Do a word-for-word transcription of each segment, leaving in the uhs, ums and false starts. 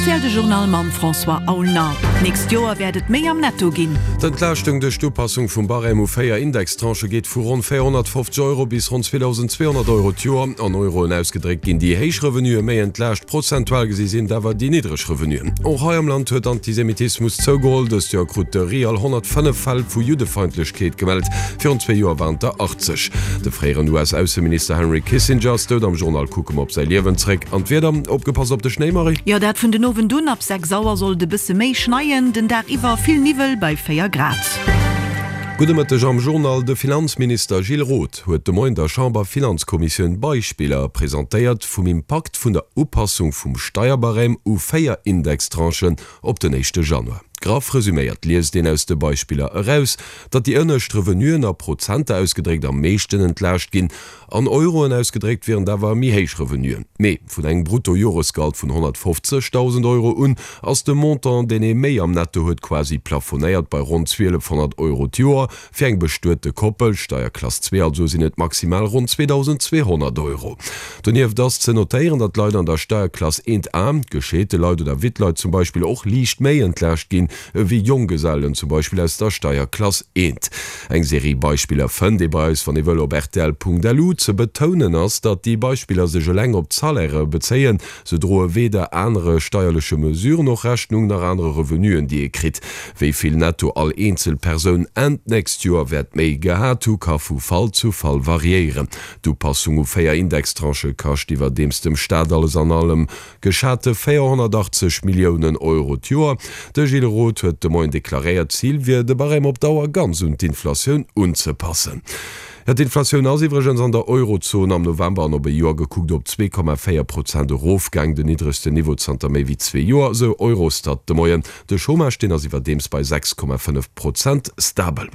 R T L De Journal mam François Aulner. D'nächst Joer wäert et méi am Netto ginn. D'Entlaaschtung duerch d'Upassung vum Barème u véier Indextranchë geet vu ronn véierhonnertfofzeg Euro bis ronn zweedausend zweehonnert Euro d'Joer. An Euroen ausgedréckt ginn déi héich Revenuë méi entlaascht, prozentual gesi sinn et awer déi niddreg Revenuen. Och hei am Land huet Antisemitismus zougeholl. Dëst Joer krut de RIAL honnertfënnef Fäll vu Juddefeindlechkeet gemellt, virun zwee Joer waren et der achtzeg. De fréieren U S-Ausseminister Henry Kissinger ass dout. Am Journal kucke mer op säi Liewen zréck. An d'Wieder, opgepasst op de Schnéi, Marie! Jo, dat vun den Owend un, ab sechs Auer soll et e bësse méi schneien, den Dag iwwer vill Niwwel bei véier Grad. Gudde Mëtteg am Journal. De Finanzminister Gilles Roth huet de Moien der Chamber-Finanzkommissioun Beispiller presentéiert vum Impakt vun der Upassung vum Steierbarème u véier Indextranchen op den éischte Januar. Graff resuméiert liest een aus de Beispiller eraus, datt déi ënnescht Revenuen a Prozenter ausgedréckt am meeschten entlaascht ginn, an Euroen ausgedréckt wieren et awer méi héich Revenuen. Mee vun engem Bruttojoresgehalt vun honnertfofzegdausend Euro un ass de Montant, deen ee méi am Netto huet, quasi plafonéiert bei ronn zwielefhonnert Euro d'Joer. Fir eng bestuete Koppel, Steierklass zwee also, sinn et maximal ronn zweedausendzweehonnert Euro. Donieft ass ze notéieren, datt Leit an der Steierklass eent A, gescheete Leit oder Wittleit zum Beispill, och liicht méi entlaascht ginn ewéi Jonggesellen zum Beispill aus der Steierklass eent. Eng Serie Beispiller fënnt ee bei eis, wann ee wëll, op rtl Punkt L U. Ze betounen ass, datt déi Beispiller sech eleng op d'Salairë bezéien. Se droe weder anere steierleche Mesuren och Rechnung, nach anere Revenuen, déi ee kritt. Wéi vill netto all eenzel Persoun Enn d'nächst Joer wäert méi gehat hu, ka vu Fall zu Fall variéieren. D'Upassung u véier Indextranchë kascht iwwerdeems dem Staat alles an allem geschate véierhonnertachtzeg Milliounen Euro d'Joer. De Gilles Roth huet de Moien deklaréiert, d'Zil wier, de Barème op Dauer ganz un d'Inflatioun unzepassen. D'Inflatioun ass iwwregens an der Eurozon am November an op e Joer gekuckt op zwee Komma véier Prozent erofgaang, den niddregsten Niveau zanter méi wéi zwee Joer, esou Eurostat de Moien. De Chômage, deen ass iwwerdeems bei sechs Komma fënnef Prozent stabel.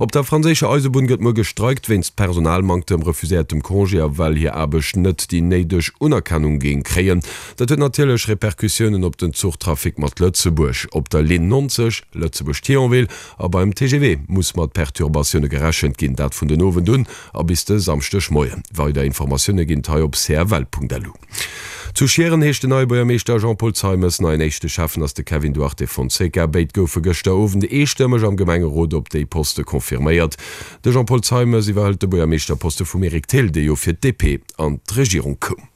Op der franséischer Eisebunn gëtt muer gestreikt wéinst Personalmanktem, refuséiertem Congé a well hir Aarbecht net déi néideg Unerkennung géing kréien. Dat huet natierlech Repercussiounen op den Zuchtrafic mat Lëtzebuerg. Op der Linn neunzeg, Lëtzebuerg-Thionville, a beim T G V muss mat Perturbatioune gerechent ginn, dat vun den Owend un a bis de Samschdegmoien. Weider Informatioune ginn et hei op c f l Punkt l u. Zu Schieren heescht den neie Buergermeeschter Jean-Paul Zeimes, neien éischte Schäffen ass de Kevin Duarte Fonseca. Béid goufe gëschter Owend eestëmmeg am Gemengerot op déi Poste confirméiert. De Jean-Paul Zeimes iwwerhëlt de Buergermeeschterposte vum Eric Thill, dee jo fir d'D P an d'Regierung koum.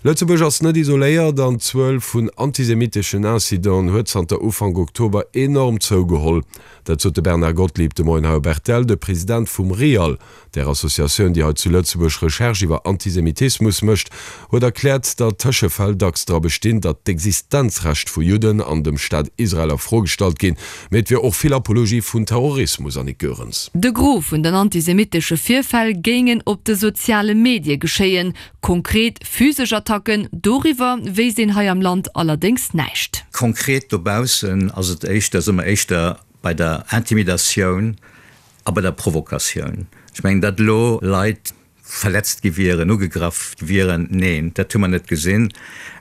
Lëtzebuerg ass net isoléiert an d'Zuel vun antisemitteschen Incidenten huet zanter Ufank Oktober enorm zougeholl. Dat sot de Bernard Gottlieb de Moien hei op R T L. De President vum RIAL, der Associatioun, déi hei zu Lëtzebuerg Recherche iwwer Antisemitismus mécht, huet erkläert, datt Tëschefäll dacks dra bestinn, datt d'Existenzrecht vu Judden an dem Staat Israel a Fro gestallt ginn. Mee et wier och vill Apologie vun Terrorismus, Annick Goerens. De Gros vun den antisemitesche Virfäll géingen op de soziale Medie geschéien. Konkret physesch Attacken, doriwwer wéisst een hei am Land allerdéngs näischt. Konkret dobaussen ass et éischter, si mer éischter bei der Intimidatioun a bei der Provokatioun. Ech mengen, datt elo Leit verletzt gi wieren, ugegraff wieren, neen, dat hu mer net gesinn.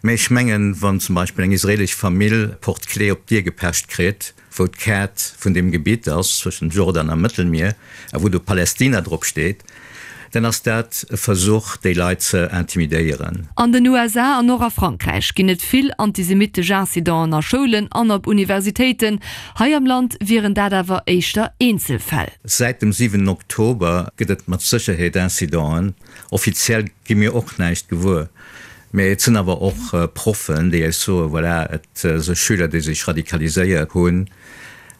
Mä ech mengen, wann zum Beispill eng israelesch Famill Porte-clés op d'Dier gepecht kritt, wou d'Kaart vun deem Gebitt ass zwëschen Jordan a Mëttelmier a wou do Palästina drop steet, dann ass dat e Versuch, déi Leit ze intimidéieren. An den U S A an och a Frankräich ginn et vill antisemittesch Incidenten a Schoulen an op Universitéiten. Hei am Land wieren dat awer éischter Eenzelfäll. Säit dem siwenten Oktober gëtt et mat Sécherheet Incidenten. Offiziell gi mir och näischt gewuer. Mä et sinn awer och Proffen, déi eis soen, voilà, et si Schüler, déi sech radikaliséiert hunn.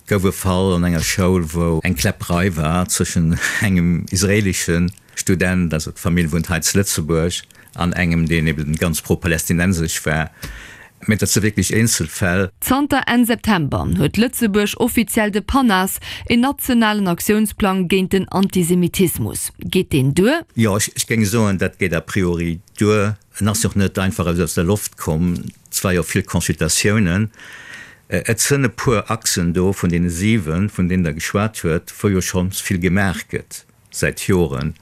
Gouf e Fall an enger Schoul, wou eng Kläpperei war zwëschen engem israeeleschen Student, also d'Famill wunnt hei zu Lëtzebuerg, an engem, deen eben ganz pro-palästinensesch war. Mä dat si wierklech Eenzelfäll. Zanter Enn September huet Lëtzebuerg offiziell de PANAS, een nationalen Aktiounsplang géint den Antisemitismus. Geet deen duer? Jo, ech géing soen, dat geet a priori duer. En ass jo och net einfach aus der Loft komm. Et war jo vill Consultatiounen. Et sënn e puer Achsen do vun deene siwen, vun deenen Der geschwat huet, wou jo schonns vill gemaach gëtt säit Joren.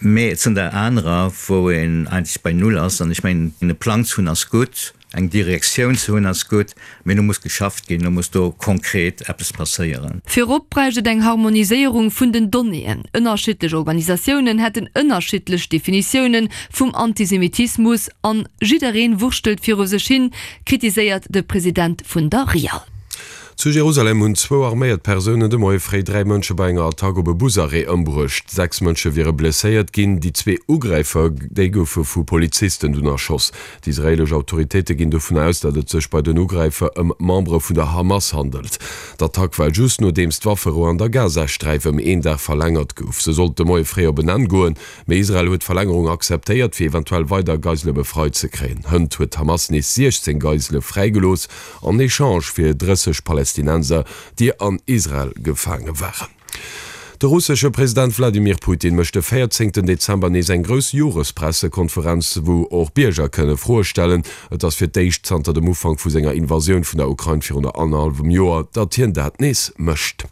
Mee et sënn der anerer, wou een eigentlech bei Null ass. An ech mengen, e Plang ze hunn ass gutt, Eng Direktioun ze hunn ass gutt, mee elo muss geschafft ginn, elo muss do konkret eppes passéieren. Virop bräicht et eng Harmoniséierung vun den Donnéeën. Ënnerschiddlech Organisatiounen hätten ënnerschiddlech Definitioune vum Antisemitismus an jiddereen wurschtelt viru sech hin, kritiséiert de President vun der RIAL. Zu Jerusalem hunn zwou arméiert Persounen de Moie fréi dräi Mënsche bei enger Attack op e Busarrêt ëmbruecht. Sechs Mënsche wiere blesséiert ginn. Déi zwee Ugräifer, déi goufe vu Polizisten dunn erschoss. Déi israeelesch Autoritéite ginn dovun aus, datt et sech bei den Ugräifer ëm Membere vun der Hamas handelt. D'Attack war just nodeems d'Wafferou an der Gazasträif ëm een Dag verlängert gouf. Se sollt de Moie fréi op en Enn goen, mee Israel huet d'Verlängerung akzeptéiert, fir eventuell weider Geisele befreit ze kréien. Hënt huet d'Hamas nees siechzéng Geisele fräigelooss, en Echange fir drësseg Palästinenser, déi an Israel gefaange waren. De russesche President Wladimir Putin mécht de véierzéngten Dezember nees eng grouss Jorespressekonferenz, wou och Bierger kënne Froe stellen. Et ass fir d'éischt zanter dem Ufank vu senger Invasioun vun der Ukrain virun annerhallwem Joer, datt hien dat nees mécht.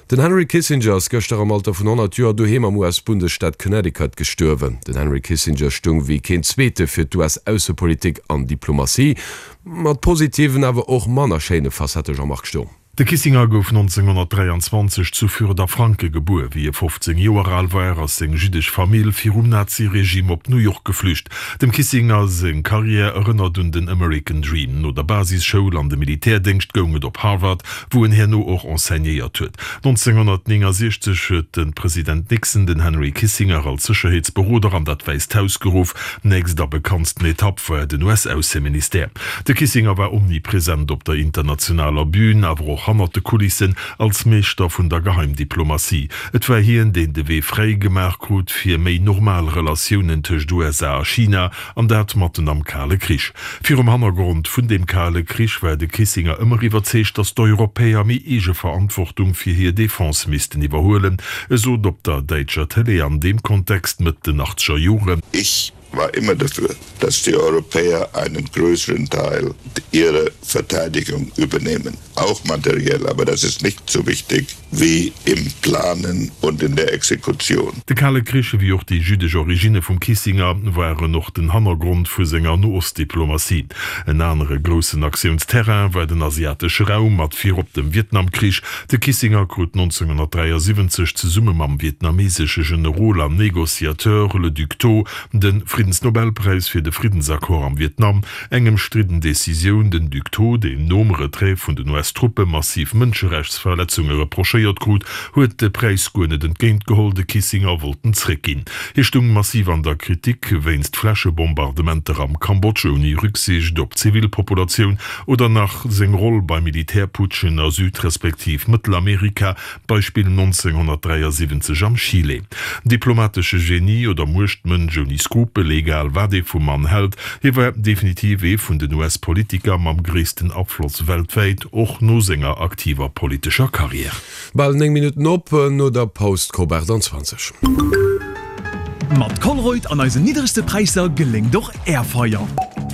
Den Henry Kissinger ass gëschter am Alter vun honnert Joer doheem am U S-Bundesstaat Connecticut gestuerwen. Den Henry Kissinger stung wéi keen Zweete fir d'U S-Aussepolitik an Diplomatie, mat positiven awer och manner schéine Facette, Jean-Marc Sturm. De Kissinger gouf nonzénghonnertdräianzwanzeg zu Fürth a Franke gebuer. Wéi e fofzéng Joer al war, ass seng jüddesch Famill virum Nazi-Regime op New York geflücht. Dem Kissinger seng Karriär erënnert un den American Dream. No der Basisschoul an dem Militärdéngscht goung et op Harvard, wou en herno och enseignéiert huet. nonzénghonnertnéngasechzeg huet de President Nixon den Henry Kissinger als Sécherheetsberoder an dat Wäisst Haus geruff. Nächst a bekanntsten Etapp war den U S-Ausseministère. De Kissinger war omnipresent op der internationaler Bün, awer och hannert de Kulissen als Meeschter vun der Geheimdiplomatie. Et war hien, deen de Wee fräi gemaach krut fir méi normal Relatiounen tëscht U S A a China, an dat matten am Kale Krich. Virum Hannergrond vun deem Kale Krich war de Kissinger ëmmer iwwerzeegt, datt d'Europäer méi Eegeverantwortung fir hir Defense missten iwwerhuelen. E sot op der däitscher Tëlee an deem Kontext Mëtt den achtzeger Joren. Ich war immer dafür, dass die Europäer einen größeren Teil ihrer Verteidigung übernehmen, auch materiell, aber das ist nicht so wichtig wie im Planen und in der Exekution. De Kale Krich wéi och déi jüddesch Originne vum Kissinger waren och den Hannergrond vu senger Noostdiplomatie. En anere groussen Aktiounsterrain war den asiatesche Raum mat virop dem Vietnamkrich. De Kissinger krut nonzénghonnertdräiasiwwenzeg zesumme mam vietnamesesche Generol an Negociateur Le Duc Tho de Friddensnobelpräis fir de Friddensaccord am Vietnam, eng ëmstridden Decisioun. Den Duc Tho, deen nom Retrait vun den U S-Truppe massiv Mënscherechtsverletzunge reprochéiert krut, huet de Präis guer net entgéintgeholl, de Kissinger wollt en zréckginn. Hie stung massiv an der Kritik wéinst Fläschebombardementer am Kambodsch ouni Rücksicht op d'Zivilpopulatioun oder nach seng Roll bei Militärputschen a Süd respektiv Mëttelamerika, Beispill nonzénghonnertdräiasiwwenzeg am Chile. Diplomatesche Genie oder Muechtmënsch ouni Skrupel, egal wat ee vum Mann hält, hie war definitiv ee vun den U S-Politiker mam gréissten Afloss weltwäit, och no senger aktiver politescher Karriär. Bal néng Minutten op no der Paus d'Cop aachtanzwanzeg. Mat Colruyt an eisen niddregste Präisser geléngt och Är Feier.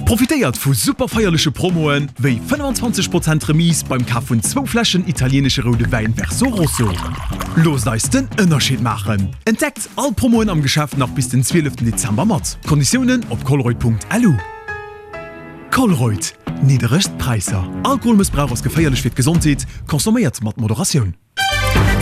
Profitéiert vu super feierleche Promoen, wéi fënnefenzwanzeg Prozent Remise beim Kaf vun zwou Fläschen italieenesche roude Wäin Verso Rosso. Loosst eis den Ënnerscheed maachen! Entdeckt all Promoen am Geschäft nach bis den zwieleften Dezember mat Konditiounen op colruyt Punkt L U. Colruyt, nidderegst Präisser. Alkoholmëssbrauch ass geféierlech fir d'Gesondheet, consomméiert mat Moderatioun.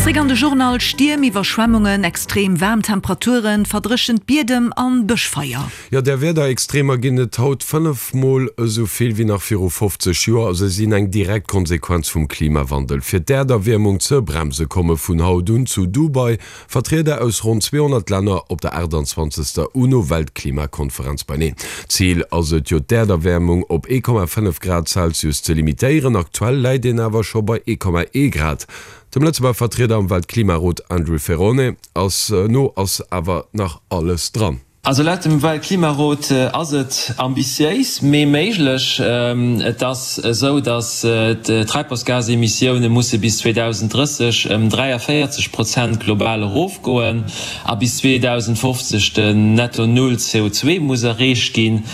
Zréck an de Journal, Stierm, Iwwerschwemmungen, extrem waarm Temperaturen, verdréchent Biedem an Bëschfeier. Jo, där Wiederextremer ginn et haut fënnef Mol esou vill wéi nach viru fofzeg Joer a se sinn eng direkt Konsequenz vum Klimawandel. Fir d'Äerderwiermung ze bremse komme vun haut un zu Dubai Vertrieder aus ronn zweehonnert Länner op der aachtanzwanzegster UNO-Weltklimakonferenz beineen. Zil ass et jo d'Äerderwiermung op ee Komma fënnef Grad Celsius ze limitéieren, aktuell läit een awer scho bei ee Komma ee Grad. Dem Lëtzebuerger Vertrieder am Weltklimarot Andrew Ferrone ass no ass awer nach alles dran. Also laut dem Weltklimarot ass et ambitiéis, mee méiglech. Et ass esou, datt d'Treibhausgasemissioune musse bis zweedausenddrësseg ëm dräiavéierzeg Prozent global erofgoen a bis zweedausendfofzeg den Netto Null C O zwei muss erreecht ginn.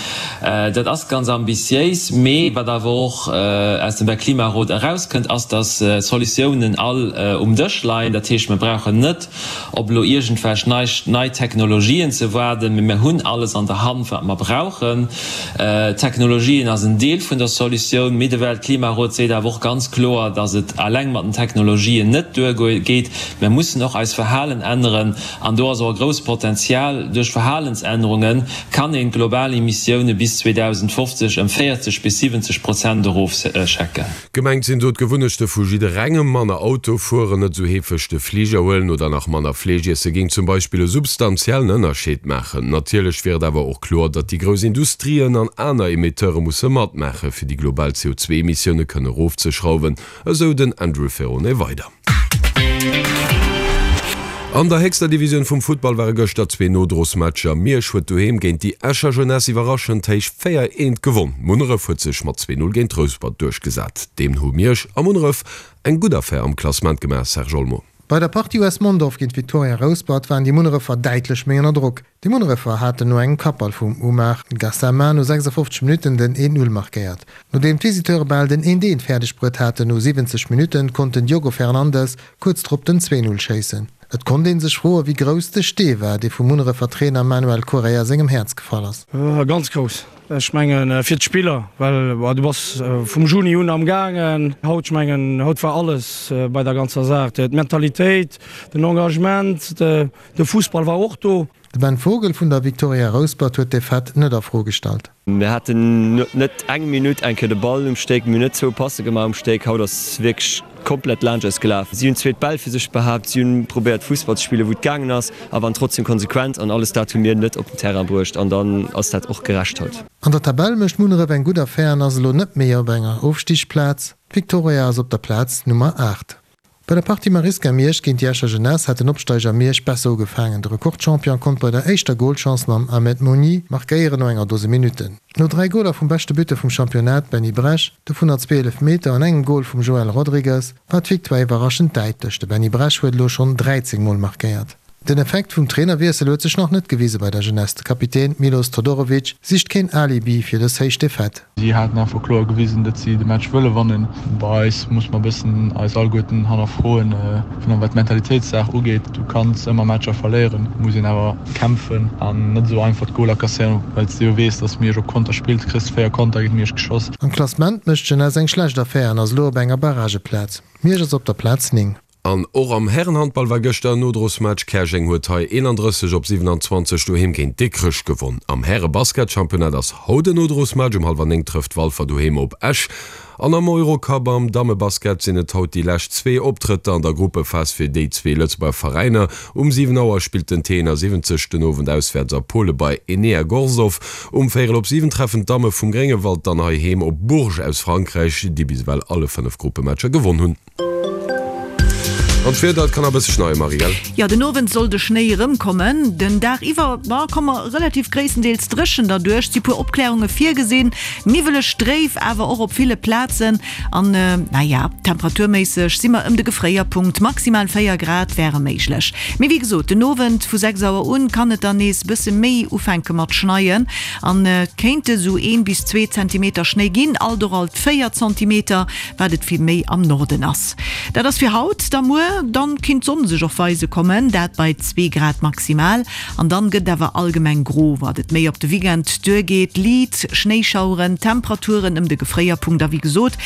Dat ass ganz ambitiéis, mee wat awer och aus dem Weltklimarot erauskënnt, ass, datt d'Solutiounen all um Dësch leien. Dat heescht, mir brauchen net op elo iergendwelch nei Technologien ze waarden. Mee mir hunn alles an der Hand, wat mer brauchen. Technologien ass en Deel vun der Solutioun, mee de Weltklimarot seet awer och ganz kloer, dass et eleng mat den Technologien net duergeet. Mir mussen och eis Verhalen änneren an do ass och e grousst Potenzial. Duerch Verhalensännerunge kann een d'global Emissioune bis zweedausendfofzeg ëm véierzeg bis siwwenzeg Prozent erofschecken. Gemengt sinn do d'Gewunnechte vu jidderengem, manner Auto fueren, net esou heefeg de Fliger huelen oder nach manner Fleesch iesse géing zum Beispill e substantiellen Ënnerscheed maachen. Natierlech wier et awer och kloer, datt déi grouss Industrien an aner Emetteure musse matmaache fir déi global C O zwee Emissioune kënne erofzeschrauwen, esou den Andrew Ferrone weider. An der héchster Divisioun vum Futtball ware gëschter zwee Nodrosmatcher. Miersch huet doheem géint déi Escher Jeunesse iwwerraschend héich véier eent gewonn. Munneref huet sech mat zwee Null géint Rouspert duerchgesat. Deemno hu Miersch a Munneref eng gutt Affär am Klassement gemaach, Serge Olmo. Bei der Partie U S Mondorf géint Victoria Rouspert waren déi Munnerefer däitlech méi ënner Drock. Déi Munnerefer haten no engem Kappball vum Oumar Gassama no sechsundfofzeg Minutten den een Null markéiert. Nodeem d'Visiteure bal den een eent fäerdeg bruet haten no siwwenzeg Minutten, konnt den Diogo Fernandes kuerz drop den zwee Null schéissen. Et konnt ee sech froen, wéi grouss de Stee war, dee vum Munnerefer Trainer Manuel Correia sengem Häerz gefall ass. Ganz grouss. Ech mengen fir d'Spiller, well du bass vum Juni un am gaangen. Haut, ech mengen, haut war alles bei der ganzer Saach, d'Mentalitéit, den Engagement, de Fussball war och do. De Ben Vogel vun der Victoria Rouspert huet d'Defaite net a Fro gestallt. Mir haten net eng Minutt eng Kéier de Ball um Stéck, mir hunn net zwou Passe gemaach um Stéck. Haut ass wierklech komplett laanscht eis gelaf. Si hunn zweet Bäll fir sech behaapt, si hunn probéiert Fussball ze spillen, wou et gaangen ass, a waren trotzdem konsequent an alles dat hu mir net op den Terrain bruecht an dann ass dat och gerecht haut. An der Tabell mécht Munneref eng gutt Affär an ass elo net méi op enger Ofstigsplaz. D'Victoria ass op der Plaz Nummer aacht. Bei der Partie Marisca Miersch géint déi Escher Jeunesse hat den Opsteiger Miersch besser ugefaangen. De Rekordchampion konnt bei der éischter Golchance mam Ahmed Mouni markéieren no enger Dose Minutten. No dräi Goler vum beschte Buteur vum Championnat Benny Bresch, dovunner zwee Eelefmeter an engem Gol vum Joël Rodrigues, war d'Victoire iwwerraschend däitlech. De Benny Bresch huet elo schonn dräizéng Mol markéiert. Den Effekt vum Trainerwiessel huet sech nach net gewise bei der Jeunesse. De Kapitän Milos Todorovic sicht keen Alibi fir dës héich Defaite. Si haten einfach kloer gewisen, datt si de Match wëlle wannen. Bei eis muss mer e bëssen eis alleguerten hannerfroen, virun allem wat d'Mentalitéitssaach ugeet. Du kanns ëmmer Matcher verléieren, muss een awer kämpfen an net esou einfach d'Goler kasséieren, well s de jo weess, datt Miersch op Konter spillt. Kriss véier Konter géint Miersch geschoss. Am Klassement mécht d'Jeunesse eng schlecht Affär an ass elo op enger Barrageplaz. Miersch ass op der Plaz néng. An och am Härenhandball war gëschter en Nodrosmatch. Käerjeng huet hei eenandrësseg op siwenanzwanzeg doheem géint Dikrech gewonn. Am Härebasketchampionnat ass haut en Nodrosmatch. Um hallwer néng trëfft Walfer doheem op Esch. An am Eurocup am Dammebasket sinn et haut déi lescht zwee Optrëtter an der Gruppephas fir déi zwee Lëtzebuerger Veräiner. Um siwen Auer spillt den T eenasiwwenzeg den Owend auswäerts a Pole bei Enea Gorzów. Um véierel op siwen treffen d'Damme vum Gréngewald dann heiheem op Bourges aus Frankräich, déi bis ewell alle fënnef Gruppematcher gewonn hunn. An d'Wieder, et kann nach e bësse schneien, Marie, gell? Jo, den Owend soll de Schnéi erëmkommen. Den Dag iwwer, ma komme mer relativ gréisstendeels dréchen derduerch. Si puer Opklärunge virgesinn, niwweleg, dréif awer och op ville Plazen. An naja, temperaturméisseg si mer ëm de Gefréierpunkt, maximal véier Grad wäre méiglech. Mee wéi gesot, den Owend vu sechs Auer un kann et dann nees bësse méi ufänke mat schneien an et kéinte sou een bis zwee Zentimeter Schnéi ginn, alt och alt véier Zentimeter, wat et vill méi am Norden ass. Dat ass fir haut. Da muer, dann kinnt d'Sonn sech och weise kommen, dat bei zwee Grad maximal. An dann gëtt awer allgemeng gro, wat et méi op de Weekend duergeet. Liit Schnéischaueren, Temperaturen ëm de Gefréierpunkt a wéi gesot,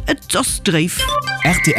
et ass dréif. Rtl.